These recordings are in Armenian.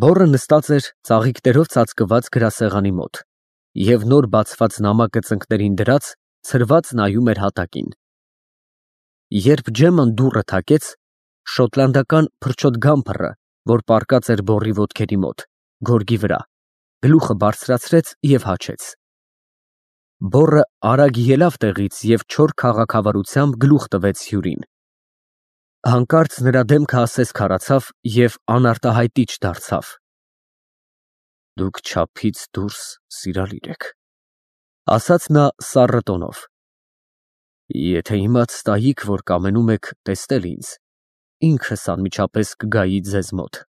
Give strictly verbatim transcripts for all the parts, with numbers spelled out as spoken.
Բոռը նստած էր ծաղիկներով ծածկված գրասեղանի մոտ և նոր բացված նամակը ծնկներին դրած, ցրված նայում էր հատակին։ Երբ Ջեման դուռը թակեց, շոտլանդական փրչոտ գամփրը, որ պառկած էր բոռի ոտքերի մոտ, գորգի վրա, գլուխը բարձրացրեց և հաչեց։ Բոռը արագ ելավ տեղից և չոր քաղաքավարությամբ գլուխ տվեց հյուրին։ Հանկարծ նրա դեմքը ասես քարացավ և անարտահայտիչ դարձավ։ Դուք չափից դուրս սիրալիր եք, ասաց նա սառը տոնով։ Եթե իմաց տայիք, որ կամենում եք տեսնել ինձ, ինքս անմիջապես կգայի ձեզ մոտ։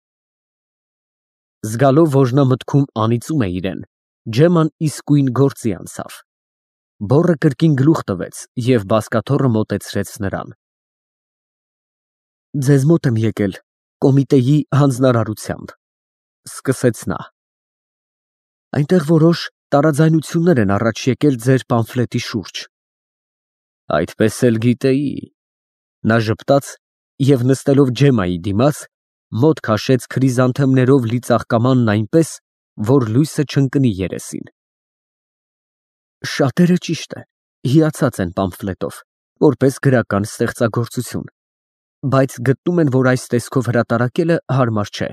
Զգալով, որ նա մտքում անիծում է իրան, Ջեման իսկույն գործի անցավ։ Բոռը կրկին գլուխ տվեց և բազկաթոռը մոտեցրեց նրան։ Ձեզ մոտ եմ եկել կոմիտեի հանձնարարությամբ, սկսեց նա։ Այնտեղ որոշ տարաձայնություններ են առաջ եկել ձեր պամֆլետի շուրջ։ Այդպես էլ գիտեի։ Նա ժպտաց և նստելով Ջեմայի դիմաց, մոտ քաշեց քրիզանթեմներով լի ծաղկամանն այնպես, որ լույսը չընկնի երեսին։ Շատերը, ճիշտ է, հիացած են պամֆլետով, որպես գրական ստեղծագործություն, բայց գտնում են, որ այս տեսքով հրատարակելը հարմար չէ։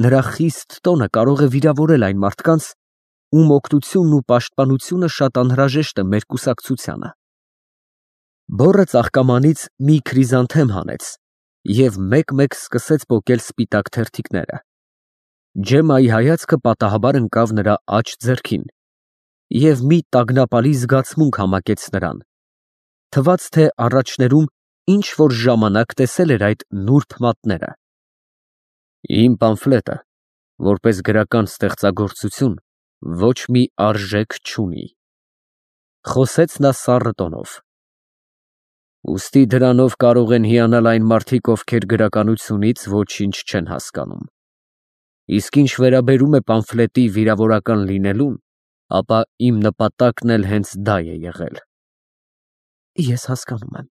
Նրա խիստ տոնը կարող է վիրավորել այն մարդկանց, ում օգնությունն ու պաշտպանությունը շատ անհրաժեշտ է մեր կուսակցությանը։ Բոռը ծաղկամանից մի քրիզանթեմ հանեց և մեկ֊մեկ սկսեց պոկել սպիտակ թերթիկները։ Ջեմայի հայացքը պատահաբար ընկավ նրա աջ ձեռքին և մի տագնապալի զգացմունք համակեց նրան, թվաց, թե առաջներում ինչ֊որ ժամանակ տեսել էր այդ նուրբ մատները։ Իմ պամֆլետը, որպես գրական ստեղծագործություն, ոչ մի արժեք չունի, խոսեց նա սառը տոնով։ Ուստի դրանով կարող են հիանալ այն մարդիկ, ովքեր գրականությունից ոչինչ չեն հասկանում։ Իսկ ինչ վերաբերում է պամֆլետի վիրավորական լինելուն, ապա իմ նպատակն էլ հենց դա է եղել։ Ես հասկանում եմ,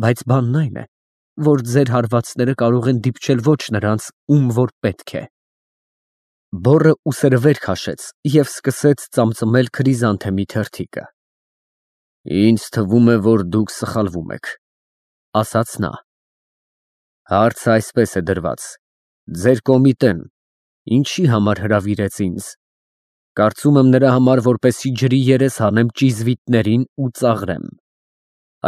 բայց բանն այն է, որ ձեր հարվածները կարող են դիպչել ոչ նրանց, ում որ պետք է։ Բոռը ուսերը վեր քաշեց և սկսեց ծամծմել քրիզանթեմի թերթիկը։ Ինձ թվում է, որ դուք սխալվում եք, ասաց նա։ Հարցը այսպես է դրված. ձեր կոմիտեն ինչի համար հրավիրեց ինձ։ Կարծում եմ նրա համար, որպեսզի ջրի երես հանեմ ճիզվիտներին ու ծաղրեմ։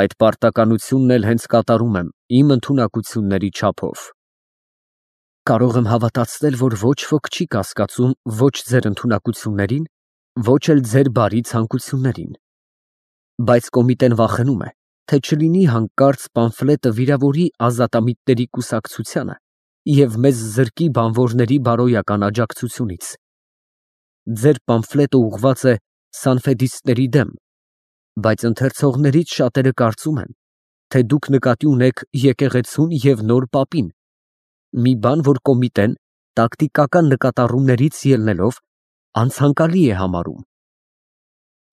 Այդ պարտականությունն էլ հենց կատարում եմ իմ ընդունակությունների չափով։ Կարող եմ հավատացնել, որ ոչ ոք չի կասկածում ոչ ձեր ընդունակություններին, ոչ էլ ձեր բարի ցանկություններին։ Բայց կոմիտեն վախենում է, թե չլինի հանկարծ պամֆլետը վիրավորի ազատամիտների կուսակցությանը և մեզ զրկի բանվորների բարոյական աջակցությունից։ Ձեր պամֆլետը ուղղված է սանֆեդիստների դեմ, բայց ընթերցողներից շատերը կարծում են, թե դուք նկատի ունեք եկեղեցուն և նոր պապին, մի բան, որ կոմիտեն տակտիկական նկատառումներից ելնելով անցանկալի է համարում։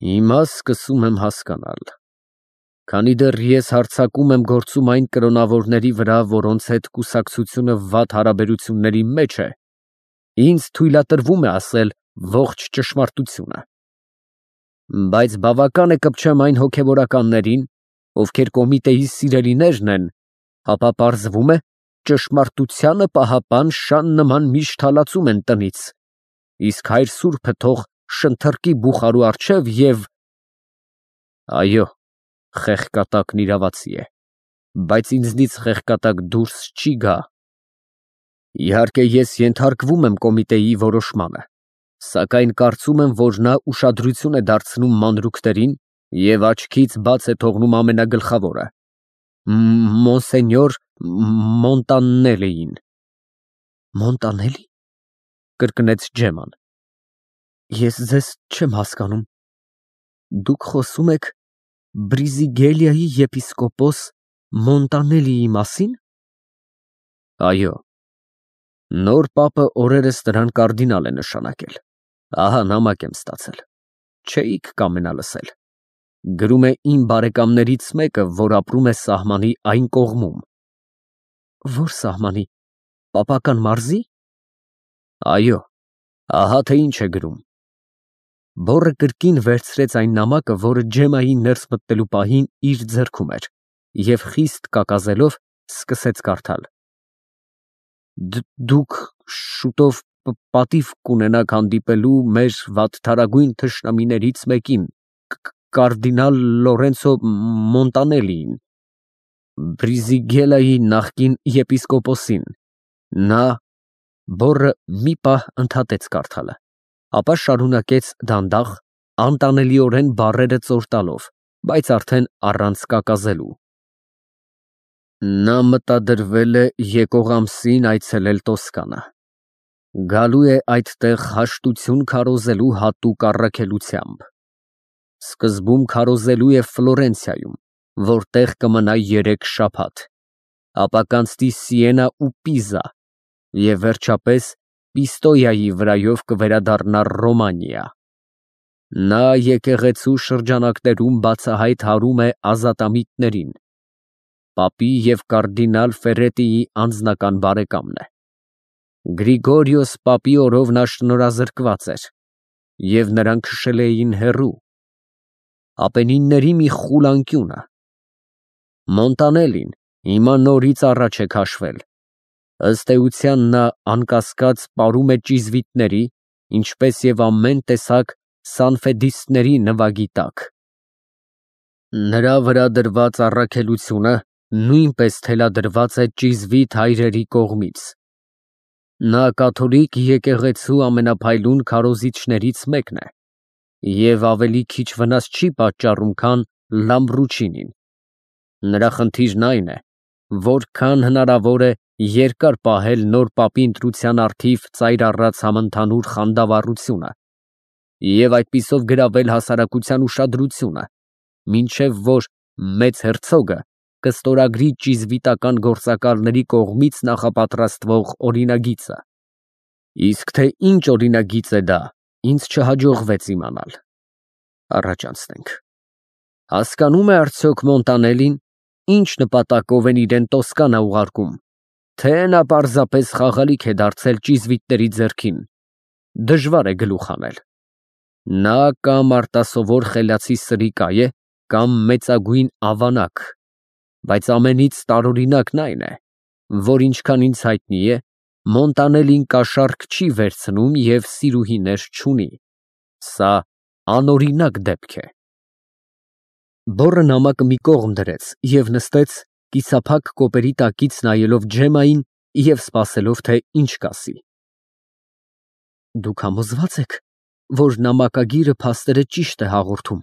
Հիմա սկսում եմ հասկանալ։ Քանի դեռ ես հարձակում եմ գործում այն կրոնավորների վրա, որոնց հետ կուսակցությունը վատ հարաբերությունների մեջ է, ինձ թույլատրվում է ասել ողջ ճշմարտությունը։ Բայց բավական է կպչեմ այն հոգևորականներին, ովքեր կոմիտեի սիրելիներն են, ապա պարզվում է, ճշմարտությանը պահապան շան նման միշտ հալածում են տնից, իսկ հայր սուրբը թող շնթռկի բուխարու առջև և… Այո, խեղկատակն իրավացի է, բայց ինձնից խեղկատակ դուրս չի գա։ Իհարկե, ես ենթարկվում եմ կոմիտեի որոշմանը, սակայն կարծում եմ, որ նա ուշադրություն է դարձնում մանրուքներին և աչքից բաց է թողնում ամենագլխավորը՝ մոնսենյոր Մոնտանելլիին։ Մոնտանելլի… կրկնեց Ջեման։ Ես ձեզ չեմ հասկանում։ Դուք խոսում եք Բրիզիգելիայի եպիսկոպոս Մոնտանելլիի մասի՞ն։ Այո։ Նոր պապը օրերս նրան կարդինալ է նշանակել։ Ահա նամակ եմ ստացել։ Չէիք կամենա լսել։ Գրում է իմ բարեկամներից մեկը, որ ապրում է սահմանի այն կողմում։ Ո՞ր սահմանի, պապական մարզի՞։ Այո, ահա թե ինչ է գրում։ Բոռը կրկին վերցրեց այն նամակը, որը Ջեմայի ներս մտնելու պահին իր ձեռքում էր, և խիստ կակազելով սկսեց կարդալ. Դուք շուտով պատիվ կունենաք հանդիպելու մեր վատթարագույն թշնամիներից մեկին, կարդինալ Լորենցո Մոնտանելիին, Բրիզիգելայի նախկին եպիսկոպոսին, նա… Բոռը մի պահ ընդհատեց կարդալը, ապա շարունակեց դանդաղ, անտանելիորեն բառերը ծոր տալով, բայց արդեն առանց կակազելու. Նա մտադրվել է եկող ամսին այցելել Տոսկանա, գալու է այդտեղ հաշտություն քարոզելու հատուկ առաքելությամբ, սկզբում քարոզելու է Ֆլորենցիայում, որտեղ կմնա երեք շաբաթ, ապա կանցնի Սիենա ու Պիզա և վերջապես Պիստոյայի վրայով կվերադառնա Ռոմանիա։ Նա եկեղեցու շրջանակներում բացահայտ հարում է ազատամիտներին, պապի և կարդինալ Ֆերետիի անձնական բարեկամն է։ Գրիգորիոս պապի օրով նա շնորհազրկված էր, և նրան քշել էին հեռու, Ապենինների մի խուլ անկյունը։ Մոնտանելին հիմա նորից առաջ է քաշվել, ըստ էության նա անկասկած պարում է ճիզվիտների, ինչպես և ամեն տեսակ սանֆեդիստների նվագի տակ։ Նրա վրա դրված առաքելությունը նույնպես թելադրված է ճիզվիտ հայրերի կողմից։ Նա կաթոլիկ եկեղեցու ամենափայլուն քարոզիչներից մեկն է և ավելի քիչ վնաս չի պատճառում, քան Լամբրուչինին։ Նրա խնդիրն այն է, որքան հնարավոր է երկար պահել նոր պապի ընտրության առթիվ ծայր առած համընդհանուր խանդավառությունը և այդպիսով գրավել հասարակության ուշադրությունը, մինչև որ մեծ հերցոգը կստորագրի ճիզվիտական գործակալների կողմից նախապատրաստվող օրինագիծը։ Իսկ թե ինչ օրինագիծ է դա, ինձ չհաջողվեց իմանալ։ Առաջ անցնենք։ Հասկանո՞ւմ է արդյոք Մոնտանելին, ինչ նպատակով են իրեն Տոսկանա ուղարկում, թե նա պարզապես խաղալիք է դարձել ճիզվիտների ձեռքին, դժվար է գլուխ հանել։ Նա կամ արտասովոր խելացի սրիկա է, կամ մեծագույն ավանակ, բայց ամենից տարօրինակն այն է, որ ինչքան ինձ հայտնի է, Մոնտանելին կաշառք չի վերցնում և սիրուհիներ չունի։ Սա անօրինակ դեպք է։ Բոռը նամակը մի կողմ դրեց և նստեց, կիսափակ կոպերի տակից նայելով Ջեմային և սպասելով, թե ինչ կասի։ Դուք համոզվա՞ծ եք, որ նամակագիրը փաստերը ճիշտ է հաղորդում,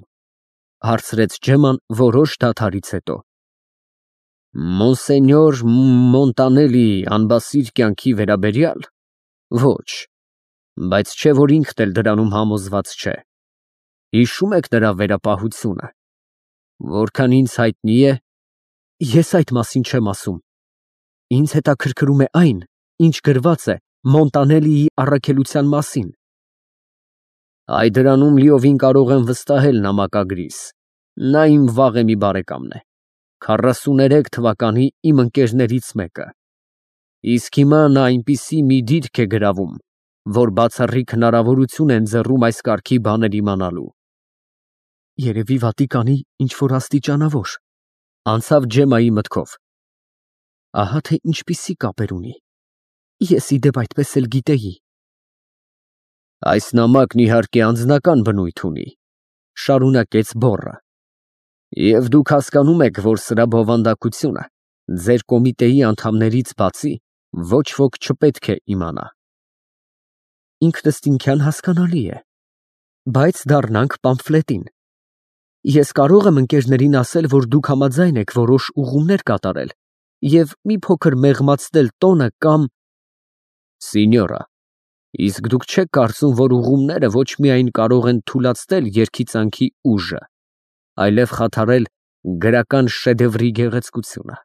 հարցրեց Ջեման որոշ դադարից հետո։ Մոնսենյոր Մոնտանելիի անբասիր կյանքի վերաբերյալ, ոչ, բայց չէ որ ինքն էլ դրանում համոզված չէ։ Հիշո՞ւմ եք նրա վերապահությունը։ Որքան ինձ հայտնի է, ես այդ մասին չեմ ասում։ Ինձ հետաքրքրում է այն, ինչ գրված է Մոնտանելիի առաքելության մասին։ Այ դրանում լիովին կարող եմ վստահել նամակագրիս, նա իմ վաղեմի բարեկամն է, քառասուներեք թվականի իմ ընկերներից մեկը, իսկ հիմա նա այնպիսի մի դիրք է գրավում, որ բացառիկ հնարավորություն է ընձեռում այս կարգի բաներ իմանալու։ Երևի Վատիկանի ինչ-որ աստիճանավոր, անցավ Ջեմայի մտքով։ Ահա թե ինչպիսի կապեր ունի, ես ի դեպ այդպես էլ գիտեի։ Այս նամակն իհարկե անձնական բնույթ ունի, շարունակեց Բոռը, և դուք հասկանում եք, որ սրա բովանդակությունը ձեր կոմիտեի անդամներից բացի ոչ ոք չպետք է իմանա։ Ինքնըստինքյան հասկանալի է, բայց դառնանք պամֆլետին։ Ես կարող եմ ընկերներին ասել, որ դուք համաձայն եք որոշ ուղումներ կատարել և մի փոքր մեղմացնել տոնը կամ… Սինյորա, իսկ դուք չեք կարծում, որ ուղումները ոչ միայն կարող են թուլացնել երգիծանքի ուժը, այլև խաթարել գրական շեդևրի գեղեցկությունը։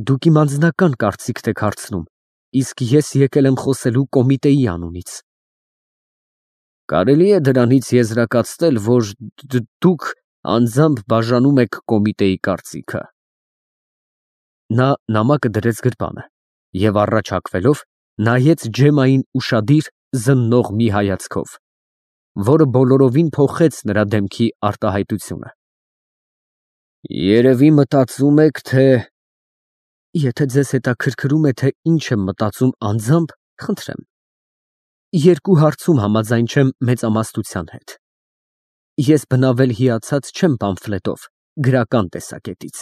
Դուք իմ անձնական կարծիքն եք հարցնում, իսկ ես եկել եմ խոսելու կոմիտեի անունից։ Կարելի է դրանից եզրակացնել, որ դուք անձամբ բաժանում եք կոմիտեի կարծիքը։ Նա նամակը դրեց գրպանը և առաջ հագվելով նայեց Ջեմային ուշադիր զննող մի հայացքով, որը բոլորովին փոխեց նրա դեմքի արտահայտությունը։ Երևի մտածում եք, թե… Եթե ձեզ հետաքրքրում է, թե ինչ եմ մտածում անձամբ, խնդրեմ։ Երկու հարցում համաձայն չեմ մեծամասնության հետ։ Ես բնավել հիացած չեմ պամֆլետով, գրական տեսակետից,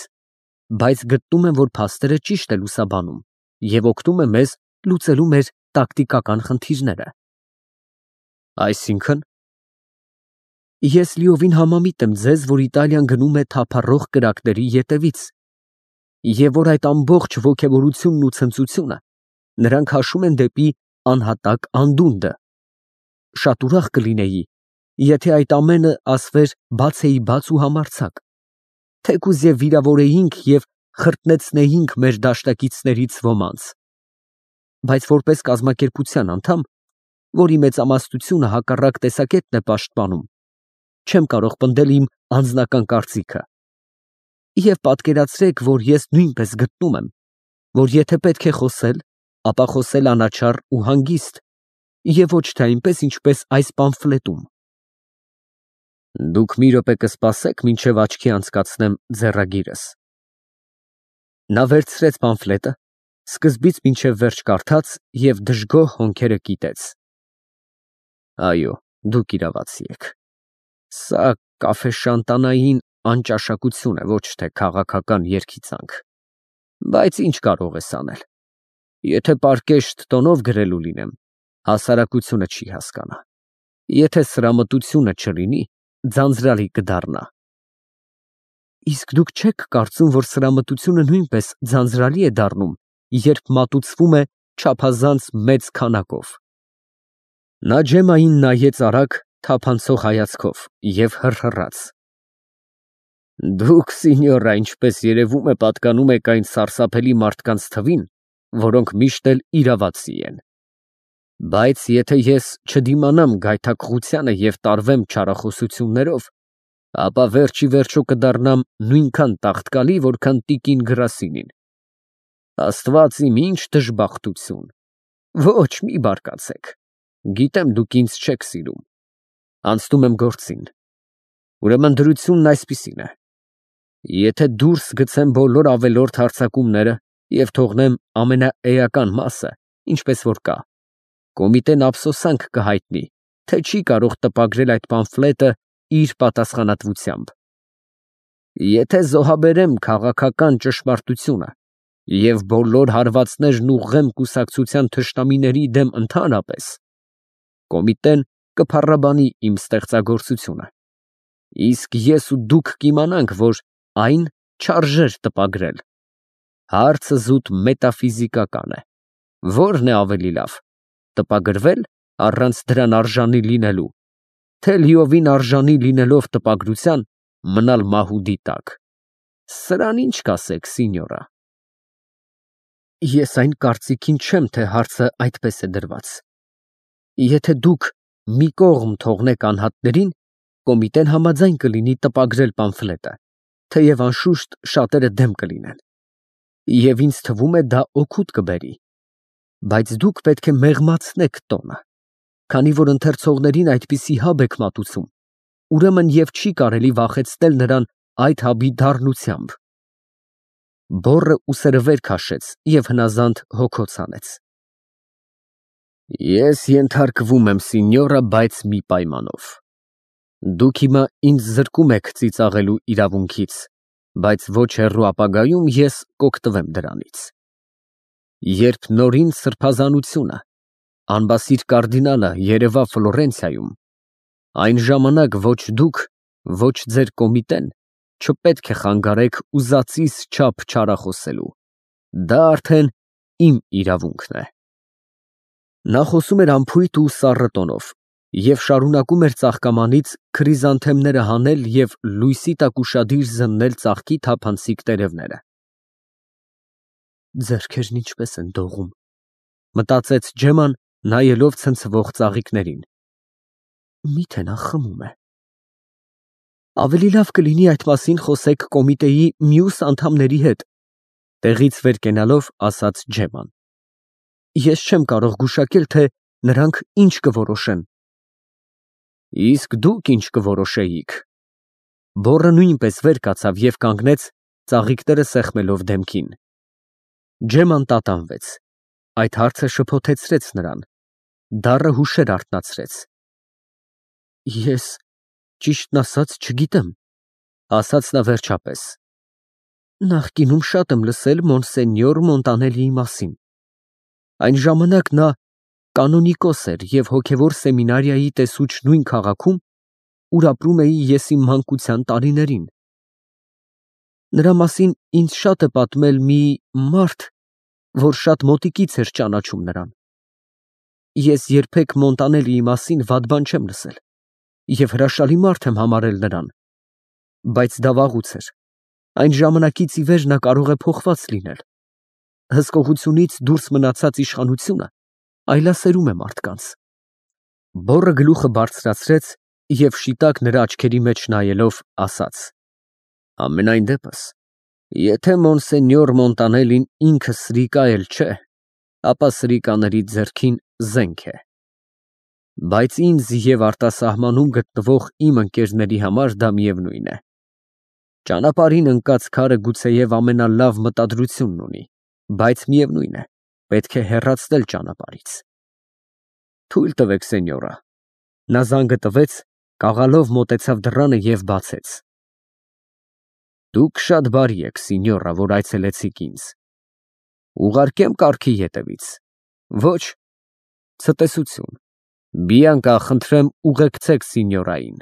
բայց գտնում եմ, որ փաստերը ճիշտ է լուսաբանում և օգնում է մեզ լուծելու մեր տակտիկական խնդիրները։ Այսինքն… Ես լիովին համամիտ եմ ձեզ, որ Իտալիան գնում է թափառող կրակների ետևից, և որ այդ ամբողջ ոգևորությունն ու ցնծությունը նրանք հաշում են դեպի անհատակ անդունդը։ Շատ ուրախ կլինեի, եթե այդ ամենը ասվեր բացեիբաց ու համարձակ, թեկուզ և վիրավորեինք և խրտնեցնեինք մեր դաշնակիցներից ոմանց, բայց որպես կազմակերպության անդամ, որի մեծամասնությունը հակառակ տեսակետն է պաշտպանում, չեմ կարող պնդել իմ անձնական կարծիքը։ Եվ պատկերացրեք, որ ես նույնպես գտնում եմ, որ եթե պետք է խոսել, ապա խոսել անաչառ ու հանգիստ, և ոչ թե այնպես, ինչպես այս պամֆլետում։ Դուք մի րոպե կսպասե՞ք, մինչև աչքի անցկացնեմ ձեռագիրս։ Նա վերցրեց պամֆլետը, սկզբից մինչև վերջ կարդաց և դժգոհ հոնքերը կիտեց։ Այո, դուք իրավացի եք։ Սա կաֆեշանտանային անճաշակություն է, ոչ թե քաղաքական երգիծանք։ Բայց ինչ կարող ես անել։ Եթե պարկեշտ տոնով գրելու լինեմ, հասարակությունը չի հասկանա։ Եթե սրամտությունը չլինի, ձանձրալի կդառնա։ Իսկ դուք չե՞ք կարծում, որ սրամտությունը նույնպես ձանձրալի է դառնում, երբ մատուցվում է չափազանց մեծ քանակով։ Նա Ջեմային նայեց արագ, թափանցող հայացքով և հռհռաց. Դուք, սինյորա, ինչպես երևում է, պատկանում եք այն սարսափելի մարդկանց թվին, որոնք միշտ էլ իրավացի են։ Բայց եթե ես չդիմանամ գայթակղությանը և տարվեմ չարախոսություններով, ապա վերջ ի վերջո կդառնամ նույնքան տաղտկալի, որքան տիկին Գրասինին։ Աստված իմ, ինչ դժբախտություն։ Ոչ, մի բարկացեք։ Գիտեմ, դուք ինձ չեք սիրում։ Անցնում եմ գործին։ Ուրեմն դրությունն այսպիսին է. Եթե դուրս գցեմ բոլոր ավելորդ հարձակումները և թողնեմ ամենաէական մասը, ինչպես որ կա, կոմիտեն ափսոսանք կհայտնի, թե չի կարող տպագրել այդ պամֆլետը իր պատասխանատվությամբ։ Եթե զոհաբերեմ քաղաքական ճշմարտությունը և բոլոր հարվածներն ուղղեմ կուսակցության թշնամիների դեմ ընդհանրապես, կոմիտեն կփառաբանի իմ ստեղծագործությունը, իսկ ես ու դուք կիմանանք, որ այն չարժեր տպագրել։ Հարցը զուտ մետաֆիզիկական է. ո՞րն է ավելի լավ, տպագրվել առանց դրան արժանի լինելու, թե լիովին արժանի լինելով տպագրության, մնալ մահուդի տակ։ Սրան ինչ կասեք, սինյորա։ Ես այն կարծիքին չեմ, թե հարցը այդպես է դրված։ Եթե դուք մի կողմ թողնեք անհատներին, կոմիտեն համաձայն կլինի տպագրել պամֆլետը, թեև անշուշտ շատերը դեմ կլինեն։ Եվ ինձ թվում է, դա օգուտ կբերի։ Բայց դուք պետք է մեղմացնեք տոնը, քանի որ ընթերցողներին այդպիսի հաբ եք մատուցում, ուրեմն և չի կարելի վախեցնել նրան այդ հաբի դառնությամբ։ Բոռը ուսերը վեր քաշեց և հնազանդ հոգոց հանեց։ Ես ենթարկվում եմ, սինյորա, բայց մի պայմանով։ Դուք հիմա ինձ զրկում եք ծիծաղելու իրավունքից, բայց ոչ հեռու ապագայում ես կօգտվեմ դրանից։ Երբ նորին սրբազանությունը, անբասիր կարդինալը երևա Ֆլորենցիայում, այն ժամանակ ոչ դուք, ոչ ձեր կոմիտեն չպետք է խանգարեք ուզածիս չափ չարախոսելու։ Դա արդեն իմ իրավունքն է։ Նա խոսում էր անփույթ ու սառը տոնով և շարունակում էր ծաղկամանից քրիզանթեմները հանել և լույսի տակ ուշադիր զննել ծաղկի թափանցիկ տերևները։ Ձեռքերն ինչպես են դողում, մտածեց Ջեման, նայելով ցնցվող ծաղիկներին։ Միթե նա խմում է։ Ավելի լավ կլինի այդ մասին խոսեք կոմիտեի մյուս անդամների հետ, տեղից վեր կենալով ասաց Ջեման։ ես չեմ կարող գուշակել, թե նրանք ինչ կորոշեն։ Իսկ դուք ինչ կորոշեիք։ Բոռը նույնպես վեր կացավ և կանգնեց, ծաղիկները սեղմելով դեմքին։ Ջեման տատանվեց։ Այդ հարցը շփոթեցրեց նրան, դառը հուշեր արթնացրեց։ Ես, ճիշտն ասած, չգիտեմ, ասաց նա վերջապես։ Նախկինում շատ եմ լսել մոնսենյոր Մոնտանելիի մասին։ Այն ժամանակ նա կանոնիկոս էր և հոգևոր սեմինարիայի տեսուչ նույն քաղաքում, ուր ապրում էի ես իմ մանկության տարիներին։ Նրա մասին ինձ շատ է պատմել մի մարդ, որ շատ մոտիկից էր ճանաչում նրան։ Ես երբեք Մոնտանելիի մասին վատ բան չեմ լսել և հրաշալի մարդ եմ համարել նրան, բայց դա վաղուց էր։ Այն ժամանակից ի վեր նա կարող է փոխված լինել։ Հսկողությունից դուրս մնացած իշխանությունը այլասերում է մարդկանց։ Բոռը գլուխը բարձրացրեց և շիտակ նրա աչքերի մեջ նայելով ասաց. Համենայն դեպս, եթե մոնսենյոր Մոնտանելին ինքը սրիկա էլ չէ, ապա սրիկաների ձեռքին զենք է։ Բայց ինձ և արտասահմանում գտնվող իմ ընկերների համար դա միևնույն է։ Ճանապարհին ընկած քարը գուցեև ամենալավ մտադրությունն ունի, բայց միևնույն է, պետք է հեռացնել ճանապարհից։ Թույլ տվեք, սենյորա։ Նա զանգը տվեց, կաղալով մոտեցավ դռանը և բացեց։ Դուք շատ բարի եք, սենյորա, որ այցելեցիք ինձ։ Ուղարկե՞մ կառքի ետևից։ Ոչ, ցտեսություն։ Բիանկա, խնդրեմ, ուղեկցեք սենյորային։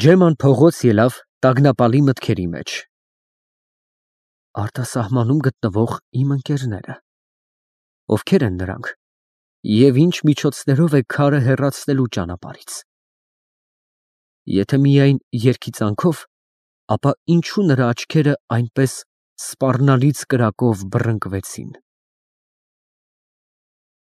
Ջեման փողոց ելավ տագնապալի մտքերի մեջ։ Արտասահմանում գտնվող իմ ընկերները։ Ովքեր են նրանք և ինչ միջոցներով է քարը հեռացնելու ճանապարհից։ Եթե միայն երգիծանքով, ապա ինչու նրա աչքերը այնպես սպառնալից կրակով բռնկվեցին։